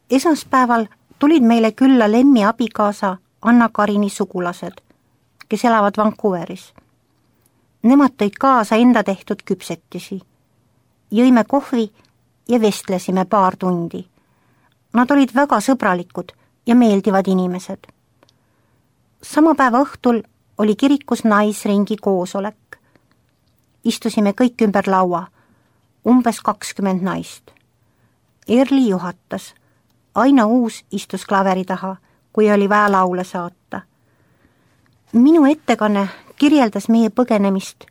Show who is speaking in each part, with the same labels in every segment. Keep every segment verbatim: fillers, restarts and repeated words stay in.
Speaker 1: Esmaspäeval tulid meile külla Lemmi abikaasa Anna-Karini sugulased, kes elavad Vancouveris. Nemad tõid kaasa enda tehtud küpsetisi. Jõime kohvi ja vestlesime paar tundi. Nad olid väga sõbralikud ja meeldivad inimesed. Sama päeva õhtul oli kirikus naisringi koosolek. Istusime kõik ümber laua, umbes kakskümmend naist. Erli juhatas. Aina Uus istus klaveri taha, kui oli vaja laule saata. Minu ettekanne kirjeldas meie põgenemist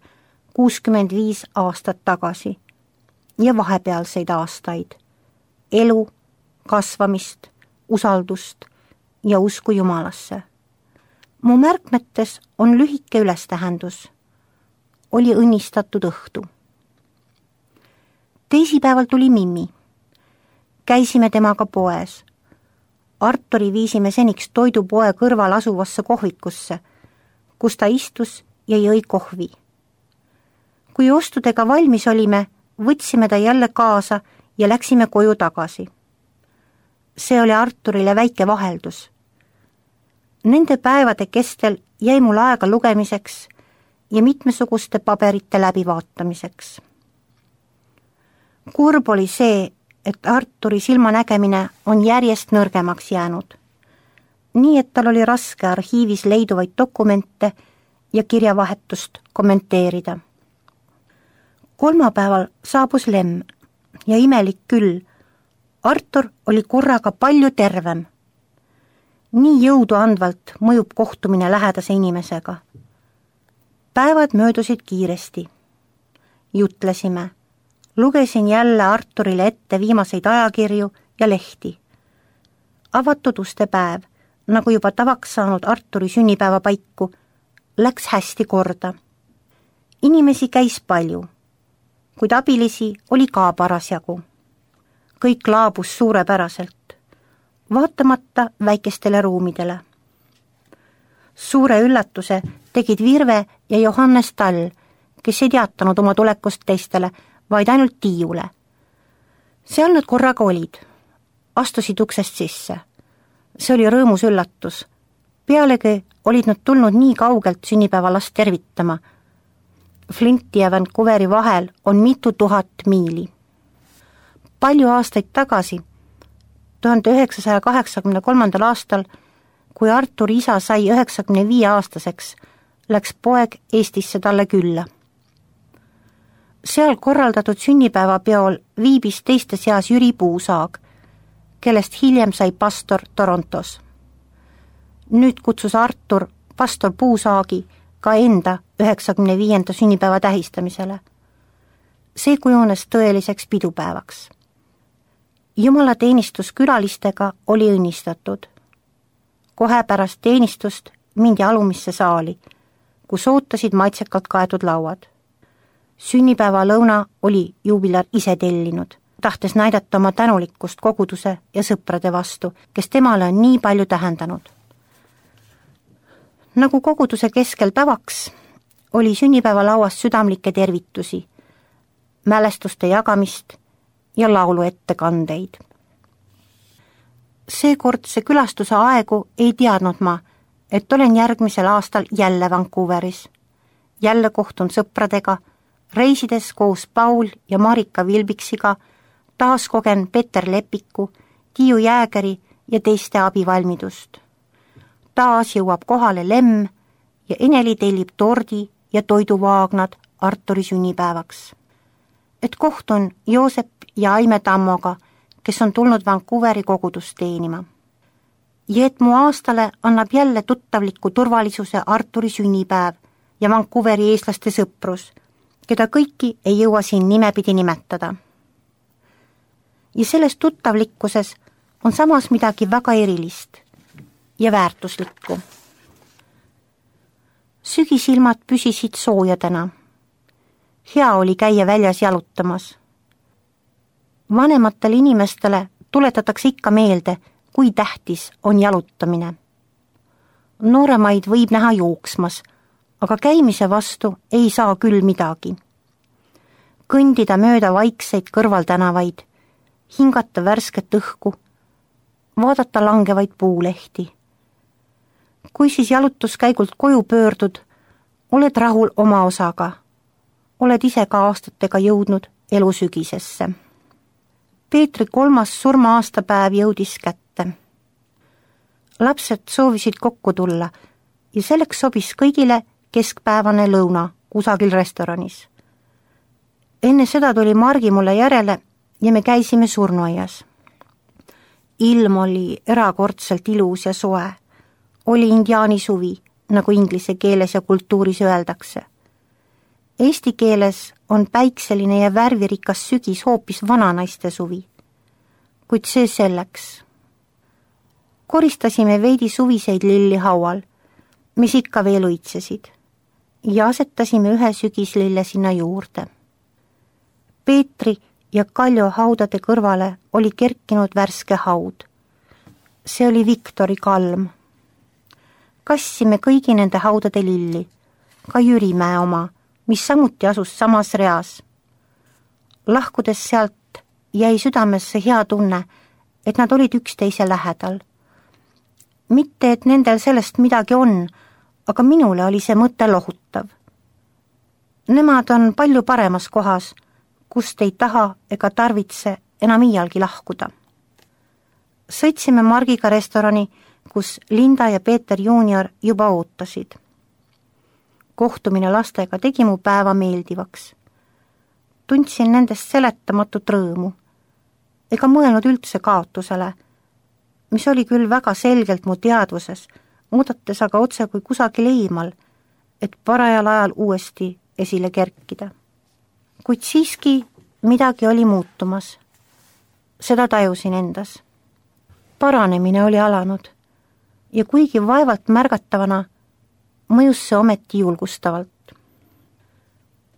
Speaker 1: kuuskümmend viis aastat tagasi ja vahepealseid aastaid. Elu, kasvamist, usaldust ja usku Jumalasse. Mu märkmetes on lühike ülestähendus. Oli õnnistatud õhtu. Teisipäeval tuli Mimmi. Käisime temaga poes. Arturi viisime seniks toidupoe kõrval asuvasse kohvikusse, kus ta istus ja jõi kohvi. Kui ostudega valmis olime, võtsime ta jälle kaasa ja läksime koju tagasi. See oli Arturile väike vaheldus. Nende päevade kestel jäi mul aega lugemiseks ja mitmesuguste paberite läbivaatamiseks. Kurb oli see, et Arturi silmanägemine on järjest nõrgemaks jäänud. Nii, et tal oli raske arhiivis leiduvaid dokumente ja kirjavahetust kommenteerida. Kolmapäeval saabus Lem ja imelik küll, Artur oli korraga palju tervem. Nii jõudu andvalt mõjub kohtumine lähedase inimesega. Päevad möödusid kiiresti. Jutlesime. Lugesin jälle Arturile ette viimaseid ajakirju ja lehti. Avatud uste päev, nagu juba tavaks saanud Arturi sünnipäeva paiku, läks hästi korda. Inimesi käis palju, kuid abilisi oli ka parasjagu. Kõik laabus suurepäraselt, vaatamata väikestele ruumidele. Suure üllatuse tegid Virve ja Johannes Tall, kes ei teatanud oma tulekust teistele, vaid ainult Tiiule. Seal nad korraga olid. Astusid uksest sisse. See oli rõõmus üllatus. Pealegi olid nad tulnud nii kaugelt sünnipäevalast tervitama. Flinti ja Vancouveri vahel on mitu tuhat miili. Palju aastaid tagasi, tuhande üheksasaja kaheksakümne kolmandal aastal, kui Arturi isa sai üheksakümne viie aastaseks, läks poeg Eestisse talle külla. Seal korraldatud sünnipäevapeol viibis teiste seas Jüri Puusaag, kellest hiljem sai pastor Torontos. Nüüd kutsus Artur pastor Puusaagi ka enda üheksakümne viienda sünnipäeva tähistamisele. See kujunes tõeliseks pidupäevaks. Jumala teenistus külalistega oli õnnistatud. Kohe pärast teenistust mindi alumisse saali, kus ootasid maitsekalt kaetud lauad. Sünnipäeva lõuna oli juubilar ise tellinud, tahtes näidata oma tänulikkust koguduse ja sõprade vastu, kes temale on nii palju tähendanud. Nagu koguduse keskel tavaks, oli sünnipäeva lauas südamlikke tervitusi, mälestuste jagamist ja laulu ettekandeid. Seekordse külastuse aegu ei teadnud ma, et olen järgmisel aastal jälle Vancouveris. Jälle kohtun sõpradega, reisides koos Paul ja Marika Vilbiksiga, taas kogen Peter Lepiku, Tiiu Jäägeri ja teiste abivalmidust. Taas jõuab kohale Lem ja Eneli tellib tordi ja toiduvaagnad Arturi sünnipäevaks. Et kohtun Joosep ja Aime Tammoga, kes on tulnud Vancouveri kogudust teenima. Ja et mu aastale annab jälle tuttavliku turvalisuse Arturi sünnipäev ja Vancouveri eestlaste sõprus, keda kõiki ei jõua siin nimepidi nimetada. Ja selles tuttavlikkuses on samas midagi väga erilist ja väärtuslikku. Sügisilmad püsisid soojadena. Hea oli käia väljas jalutamas. Vanematele inimestele tuletatakse ikka meelde, kui tähtis on jalutamine. Nooremaid võib näha jooksmas, aga käimise vastu ei saa küll midagi. Kõndida mööda vaikseid kõrvaltänavaid, hingata värsket õhku, vaadata langevaid puulehti. Kui siis jalutuskäigult koju pöördud, oled rahul oma osaga. Oled ise ka aastatega jõudnud elu sügisesse. Peetri kolmas surma-aastapäev jõudis kätte. Lapsed soovisid kokku tulla ja selleks sobis kõigile keskpäevane lõuna kusagil restoranis. Enne seda tuli Margi mulle järele ja me käisime surnuaias. Ilm oli erakordselt ilus ja soe. Oli indiaani suvi, nagu inglise keeles ja kultuuris öeldakse. Eesti keeles on päikseline ja värvirikas sügis hoopis vananaiste suvi. Kuid see selleks. Koristasime veidi suviseid lilli haual, mis ikka veel õitsesid, ja asetasime ühe sügislille sinna juurde. Peetri ja Kaljo haudade kõrvale oli kerkinud värske haud. See oli Viktori kalm. Kassime kõigi nende haudade lilli, ka Jürimäe oma, mis samuti asus samas reas. Lahkudes sealt jäi südamesse hea tunne, et nad olid üksteise lähedal. Mitte, et nendel sellest midagi on, aga minule oli see mõte lohutav. Nemad on palju paremas kohas, kust ei taha ega tarvitse enam iialgi lahkuda. Sõitsime Margiga restorani, kus Linda ja Peeter juunior juba ootasid. Kohtumine lastega tegi mu päeva meeldivaks. Tundsin nendest seletamatut rõõmu, ega mõelnud üldse kaotusele, mis oli küll väga selgelt mu teadvuses, oodates aga otse kui kusagil eemal, et parajal ajal uuesti esile kerkida. Kuid siiski midagi oli muutumas. Seda tajusin endas. Paranemine oli alanud ja kuigi vaevalt märgatavana, mõjus see ometi julgustavalt.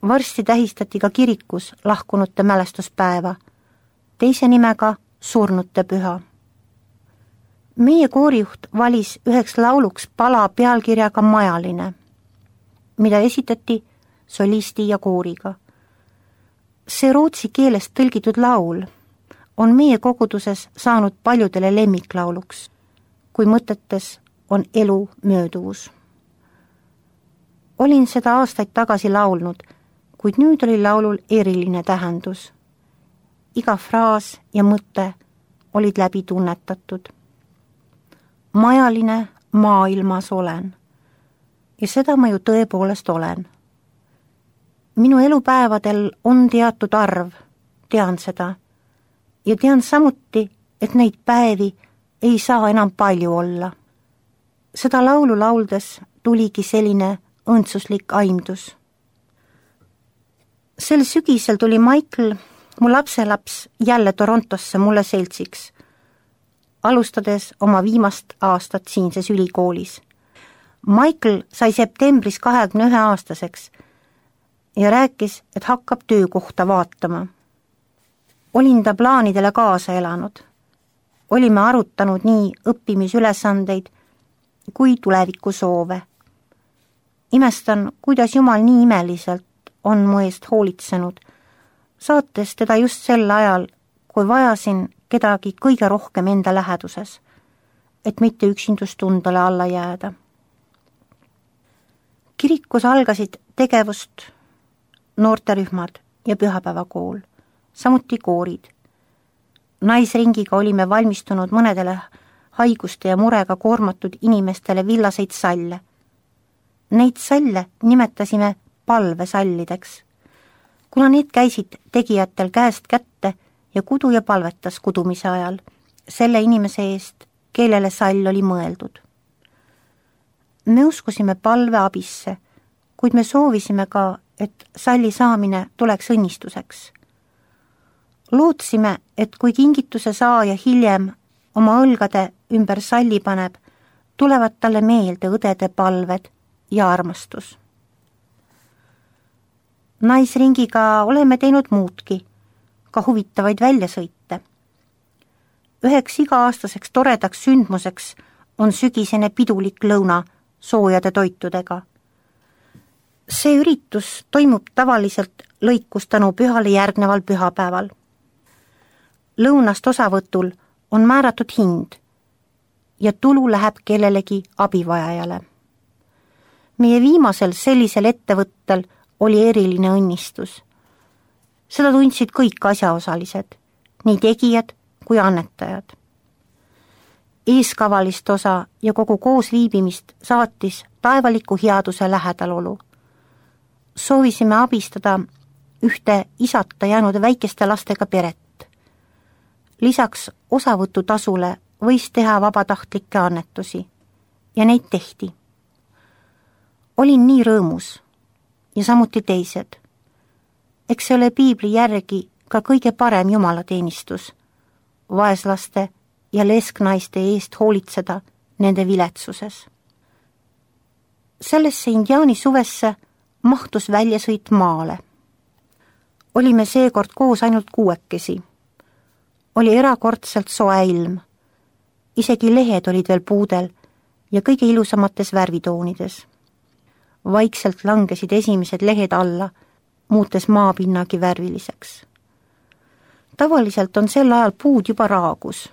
Speaker 1: Varsti tähistati ka kirikus lahkunute mälestuspäeva, teise nimega surnute püha. Meie koorijuht valis üheks lauluks pala pealkirjaga Majaline, mida esitati solisti ja kooriga. See rootsi keelest tõlgitud laul on meie koguduses saanud paljudele lemmiklauluks, kui mõtetes on elu mööduvus. Olin seda aastaid tagasi laulnud, kuid nüüd oli laulul eriline tähendus. Iga fraas ja mõte olid läbi tunnetatud. Majaline maailmas olen ja seda ma ju tõepoolest olen. Minu elupäevadel on teatud arv, tean seda, ja tean samuti, et neid päevi ei saa enam palju olla. Seda laulu lauldes tuligi selline õndsuslik aimdus. Sel sügisel tuli Michael, mu lapselaps, jälle Torontosse mulle seltsiks, alustades oma viimast aastat siinses ülikoolis. Michael sai septembris kahekümne ühe aastaseks ja rääkis, et hakkab töökohta vaatama. Olin ta plaanidele kaasa elanud. Olime arutanud nii õppimisülesandeid kui tuleviku soove. Imestan, kuidas Jumal nii imeliselt on mu eest hoolitsenud, saates teda just sel ajal, kui vajasin kedagi kõige rohkem enda läheduses, et mitte üksindustundele alla jääda. Kirikus algasid tegevust noorterühmad ja pühapäevakool, samuti koorid. Naisringiga olime valmistunud mõnedele haiguste ja murega koormatud inimestele villaseid salle. Neid salle nimetasime palvesallideks, kuna need käisid tegijatel käest kätte ja kudu ja palvetas kudumise ajal selle inimese eest, kellele sall oli mõeldud. Me uskusime palve abisse, kuid me soovisime ka, et salli saamine tuleks õnnistuseks. Lootsime, et kui kingituse saaja hiljem oma õlgade ümber salli paneb, tulevad talle meelde õdede palved ja armastus. Naisringiga oleme teinud muudki, ka huvitavaid väljasõite. Üheks iga-aastaseks toredaks sündmuseks on sügisene pidulik lõuna soojade toitudega. See üritus toimub tavaliselt lõikustanu pühale järgneval pühapäeval. Lõunast osavõtul on määratud hind ja tulu läheb kellelegi abivajajale. Meie viimasel sellisel ettevõttel oli eriline õnnistus. Seda tundsid kõik asjaosalised, nii tegijad kui annetajad. Eeskavalist osa ja kogu koosviibimist saatis taevaliku headuse lähedalolu. Soovisime abistada ühte isata jäänud väikeste lastega peret. Lisaks osavõtutasule võis teha vabatahtlikke annetusi ja neid tehti. Olin nii rõõmus ja samuti teised. Eks see ole piibli järgi ka kõige parem jumalateenistus, vaeslaste ja lesknaiste eest hoolitseda nende viletsuses. Sellesse indiaani suvesse mahtus väljasõit maale. Olime seekord koos ainult kuuekesi. Oli erakordselt soe ilm. Isegi lehed olid veel puudel ja kõige ilusamates värvitoonides. Vaikselt langesid esimesed lehed alla, muutes maapinnagi värviliseks. Tavaliselt on sel ajal puud juba raagus.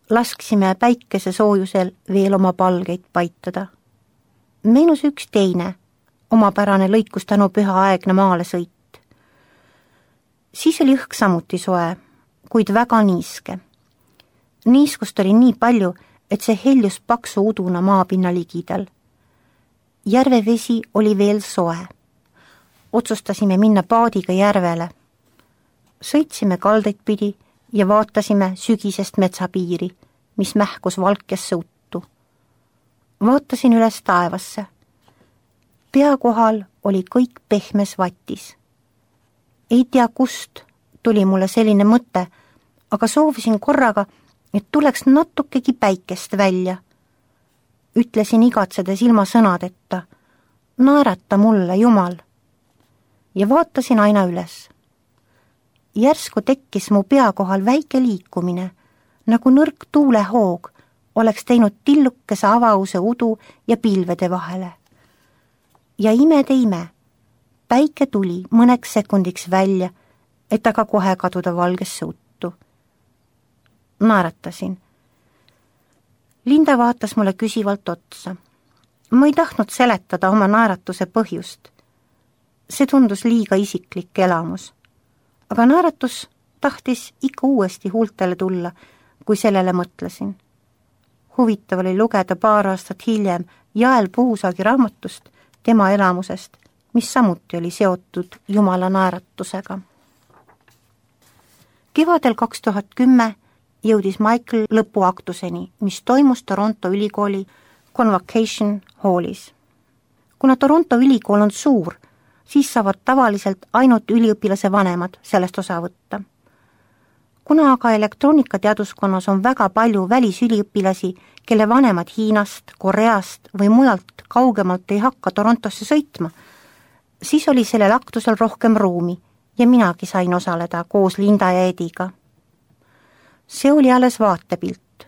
Speaker 1: Lasksime päikese soojusel veel oma palgeid paitada. Meenus üks teine, omapärane lõikustänu pühaaegne maale sõit. Siis oli õhk samuti soe, kuid väga niiske. Niiskust oli nii palju, et see heljus paksu uduna maapinna ligidal. Järve vesi oli veel soe. Otsustasime minna paadiga järvele. Sõitsime kaldeid pidi ja vaatasime sügisest metsapiiri, mis mähkus valkesse uttu. Vaatasin üles taevasse. Pea kohal oli kõik pehmes vatis. Ei tea kust tuli mulle selline mõte, aga soovisin korraga, et tuleks natukegi päikest välja. Ütlesin igatsedes ilma sõnadeta, naerata mulle, Jumal. Ja vaatasin aina üles. Järsku tekkis mu pea kohal väike liikumine, nagu nõrk tuulehoog oleks teinud tillukese avause udu ja pilvede vahele. Ja imede ime, päike tuli mõneks sekundiks välja, et aga kohe kaduda valgesse uttu. Naeratasin. Linda vaatas mulle küsivalt otsa. Ma ei tahtnud seletada oma naeratuse põhjust. See tundus liiga isiklik elamus. Aga naeratus tahtis ikka uuesti huultele tulla, kui sellele mõtlesin. Huvitav oli lugeda paar aastat hiljem Jael Puusaagi raamatust tema elamusest, mis samuti oli seotud Jumala naeratusega. Kevadel kaks tuhat kümme jõudis Michael lõpuaktuseni, mis toimus Toronto ülikooli Convocation Hallis. Kuna Toronto ülikool on suur, siis saavad tavaliselt ainult üliõpilase vanemad sellest osa võtta. Kuna aga elektroonikateaduskonnas on väga palju välisüliõpilasi, kelle vanemad Hiinast, Koreast või mujalt kaugemalt ei hakka Torontosse sõitma, siis oli sellel aktusel rohkem ruumi ja minagi sain osaleda koos Linda ja Ediga. See oli alles vaatepilt.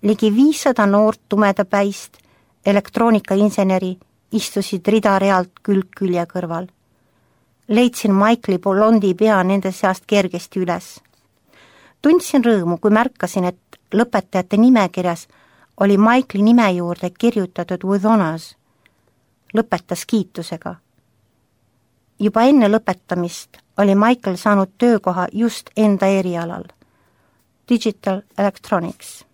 Speaker 1: Ligi viissada noort tumedapäist elektroonikainseneri istusid rida-realt külg külje kõrval. Leidsin Michaeli blondi pea nende seast kergesti üles. Tundsin rõõmu, kui märkasin, et lõpetajate nimekirjas oli Michaeli nime juurde kirjutatud with honors. Lõpetas kiitusega. Juba enne lõpetamist oli Michael saanud töökoha just enda erialal. Digital Electronics.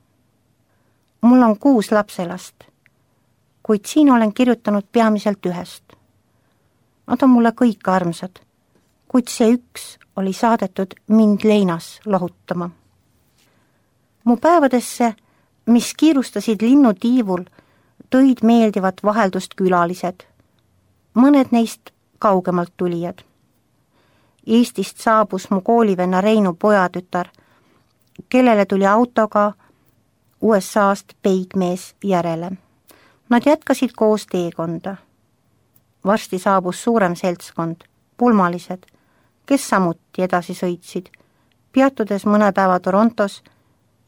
Speaker 1: Mul on kuus lapselast, kuid siin olen kirjutanud peamiselt ühest. Nad on mulle kõik armsad, kuid see üks oli saadetud mind leinas lohutama. Mu päevadesse, mis kiirustasid linnutiivul, tõid meeldivat vaheldust külalised. Mõned neist kaugemalt tulijad. Eestist saabus mu koolivenna Reinu pojatütar, kellele tuli autoga U S A-st peigmees järele. Nad jätkasid koos teekonda. Varsti saabus suurem seltskond, pulmalised, kes samuti edasi sõitsid, peatudes mõne päeva Torontos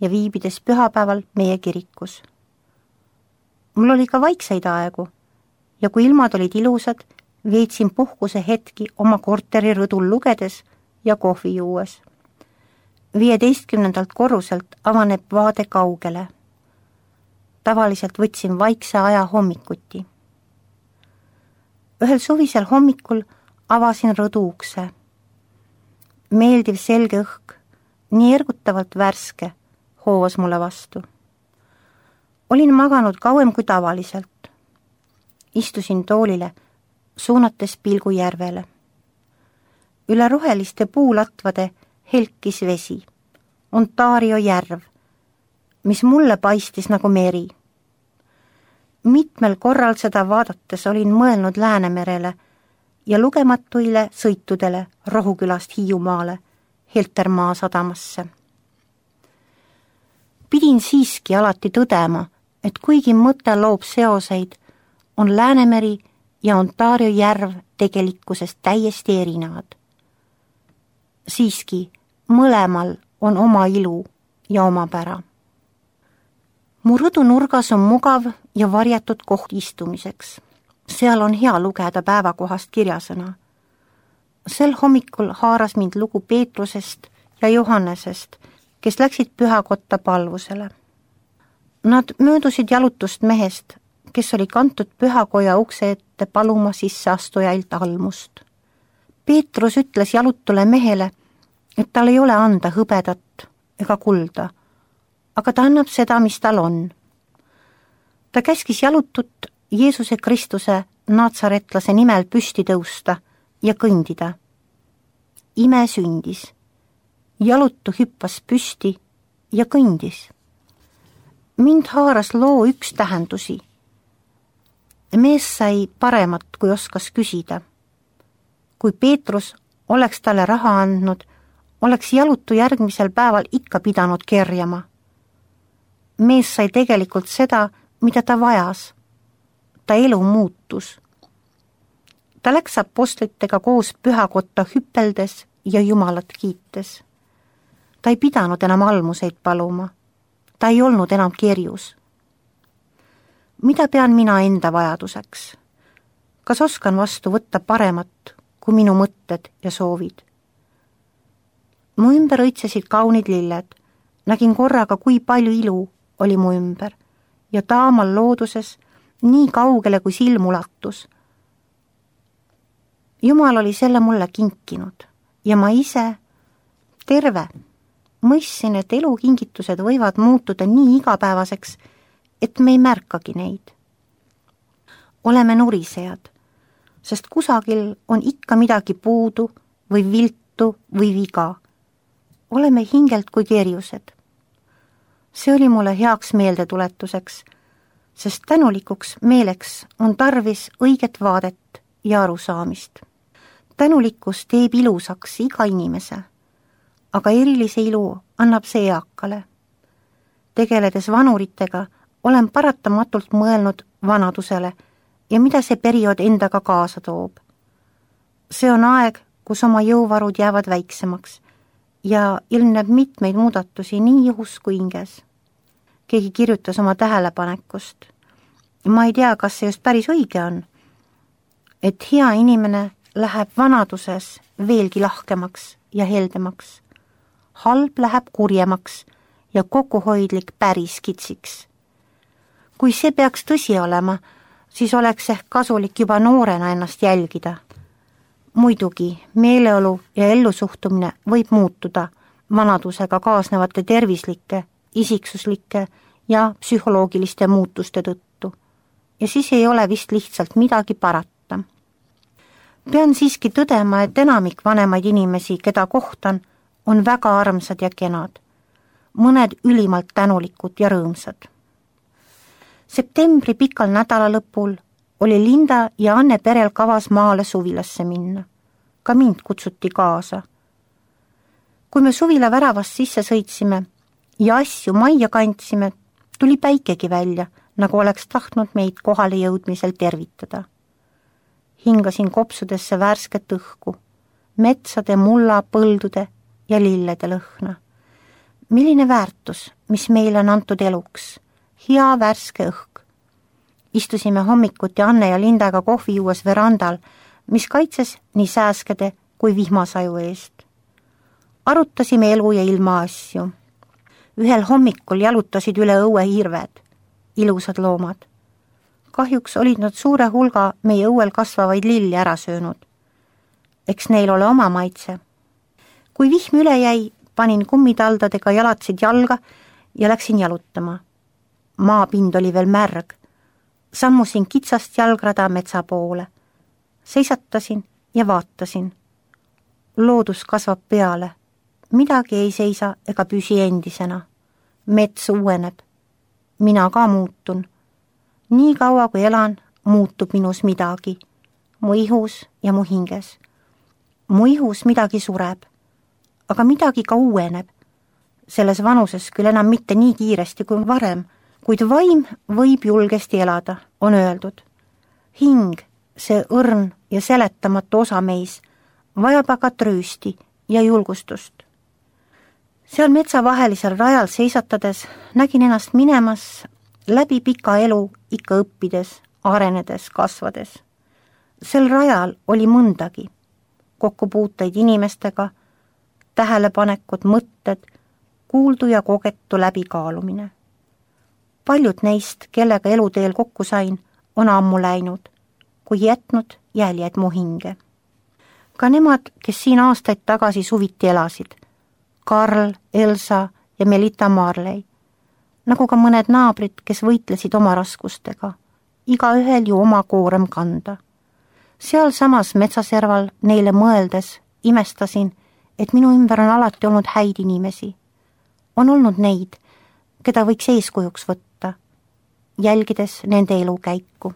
Speaker 1: ja viibides pühapäeval meie kirikus. Mul oli ka vaikseid aegu ja kui ilmad olid ilusad, veetsin puhkuse hetki oma korteri rõdul lugedes ja kohvi juues. viieteistkümnendalt korruselt avaneb vaade kaugele. Tavaliselt võtsin vaikse aja hommikuti. Ühel suvisel hommikul avasin rõdu ukse. Meeldiv selge õhk, nii ergutavalt värske, hoovas mulle vastu. Olin maganud kauem kui tavaliselt. Istusin toolile, suunates pilgu järvele. Üle roheliste puulatvade helkis vesi, Ontario järv, mis mulle paistis nagu meri. Mitmel korral seda vaadates olin mõelnud Läänemerele ja lugematuile sõitudele Rohukülast Hiiumaale, Heltermaa sadamasse. Pidin siiski alati tõdema, et kuigi mõte loob seoseid, on Läänemeri ja Ontario järv tegelikkusest täiesti erinevad. Siiski mõlemal on oma ilu ja oma pära. Mu rõdu nurgas on mugav ja varjatud koht istumiseks. Seal on hea lugeda päevakohast kirjasõna. Sel hommikul haaras mind lugu Peetrusest ja Johannesest, kes läksid pühakotta palvusele. Nad möödusid jalutust mehest, kes oli kantud pühakoja ukse ette paluma sisseastujailt almust. Peetrus ütles jalutule mehele, et tal ei ole anda hõbedat ega kulda, aga ta annab seda, mis tal on. Ta käskis jalutut Jeesuse Kristuse Natsaretlase nimel püsti tõusta ja kõndida. Ime sündis. Jalutu hüppas püsti ja kõndis. Mind haaras loo üks tähendusi. Mees sai paremat, kui oskas küsida. Kui Peetrus oleks talle raha andnud, oleks jalutu järgmisel päeval ikka pidanud kerjama. Mees sai tegelikult seda, mida ta vajas. Ta elu muutus. Ta läks apostlitega koos pühakotta hüpeldes ja Jumalat kiites. Ta ei pidanud enam almuseid paluma. Ta ei olnud enam kerjus. Mida pean mina enda vajaduseks? Kas oskan vastu võtta paremat kui minu mõtted ja soovid? Mu ümber õitsesid kaunid lilled. Nägin korraga, kui palju ilu oli mu ümber ja taamal looduses nii kaugele, kui silm ulatus. Jumal oli selle mulle kinkinud ja ma ise terve mõistsin, et elukingitused võivad muutuda nii igapäevaseks, et me ei märkagi neid. Oleme nurisejad, sest kusagil on ikka midagi puudu või viltu või viga. Oleme hingelt kui kerjused. See oli mulle heaks meeldetuletuseks, sest tänulikuks meeleks on tarvis õiget vaadet ja arusaamist. Tänulikkus teeb ilusaks iga inimese, aga erilise ilu annab see eakale. Tegeledes vanuritega olen paratamatult mõelnud vanadusele ja mida see periood endaga kaasa toob. See on aeg, kus oma jõuvarud jäävad väiksemaks ja ilmneb mitmeid muudatusi nii ihus kui hinges. Keegi kirjutas oma tähelepanekust. Ma ei tea, kas see just päris õige on, et hea inimene läheb vanaduses veelgi lahkemaks ja heldemaks. Halb läheb kurjemaks ja kokkuhoidlik päris kitsiks. Kui see peaks tõsi olema, siis oleks ehk kasulik juba noorena ennast jälgida. Muidugi, meeleolu ja ellusuhtumine võib muutuda vanadusega kaasnevate tervislike, isiksuslike ja psühholoogiliste muutuste tõttu. Ja siis ei ole vist lihtsalt midagi parata. Pean siiski tõdema, et enamik vanemaid inimesi, keda kohtan, on väga armsad ja kenad. Mõned ülimalt tänulikud ja rõõmsad. Septembri pikal nädalalõpul oli Linda ja Anne perel kavas maale suvilasse minna. Ka mind kutsuti kaasa. Kui me suvila väravast sisse sõitsime ja asju majja kandsime, tuli päikegi välja, nagu oleks tahtnud meid kohale jõudmisel tervitada. Hingasin kopsudesse värsket õhku, metsade, mulla, põldude ja lillede lõhna. Milline väärtus, mis meile on antud eluks? Hea värske õhk. Istusime hommikuti Anne ja Lindaga kohvi juues verandal, mis kaitses nii sääskede kui vihmasaju eest. arutasime elu ja ilma asju. Ühel hommikul jalutasid üle õue hirved, ilusad loomad. Kahjuks olid nad suure hulga meie õuel kasvavaid lilli ära söönud. Eks neil ole oma maitse. Kui vihm üle jäi, panin kummitaldadega jalatsid jalga ja läksin jalutama. Maapind oli veel märg. Sammusin kitsast jalgrada metsa poole. Seisatasin ja vaatasin. Loodus kasvab peale. Midagi ei seisa ega püsi endisena. Mets uueneb. Mina ka muutun. Nii kaua kui elan, muutub minus midagi. Mu ihus ja mu hinges. Mu ihus midagi sureb. Aga midagi ka uueneb. Selles vanuses küll enam mitte nii kiiresti kui varem, kuid vaim võib julgesti elada, on öeldud. Hing, see õrn ja seletamatu osa meis, vajab aga tröösti ja julgustust. Seal metsavahelisel rajal seisatades nägin ennast minemas läbi pika elu ikka õppides, arenedes, kasvades. Sel rajal oli mõndagi, kokkupuuteid inimestega, tähelepanekud, mõtted, kuuldu ja kogetu läbikaalumine. Paljud neist, kellega eluteel kokku sain, on ammu läinud, kui jätnud jäljed mu hinge. Ka nemad, kes siin aastaid tagasi suviti elasid, Karl, Elsa ja Melita Marley, nagu ka mõned naabrid, kes võitlesid oma raskustega, iga ühel ju oma koorem kanda. Seal samas metsaserval neile mõeldes imestasin, et minu ümber on alati olnud häid inimesi. On olnud neid, keda võiks eeskujuks võtta, jälgides nende elukäiku.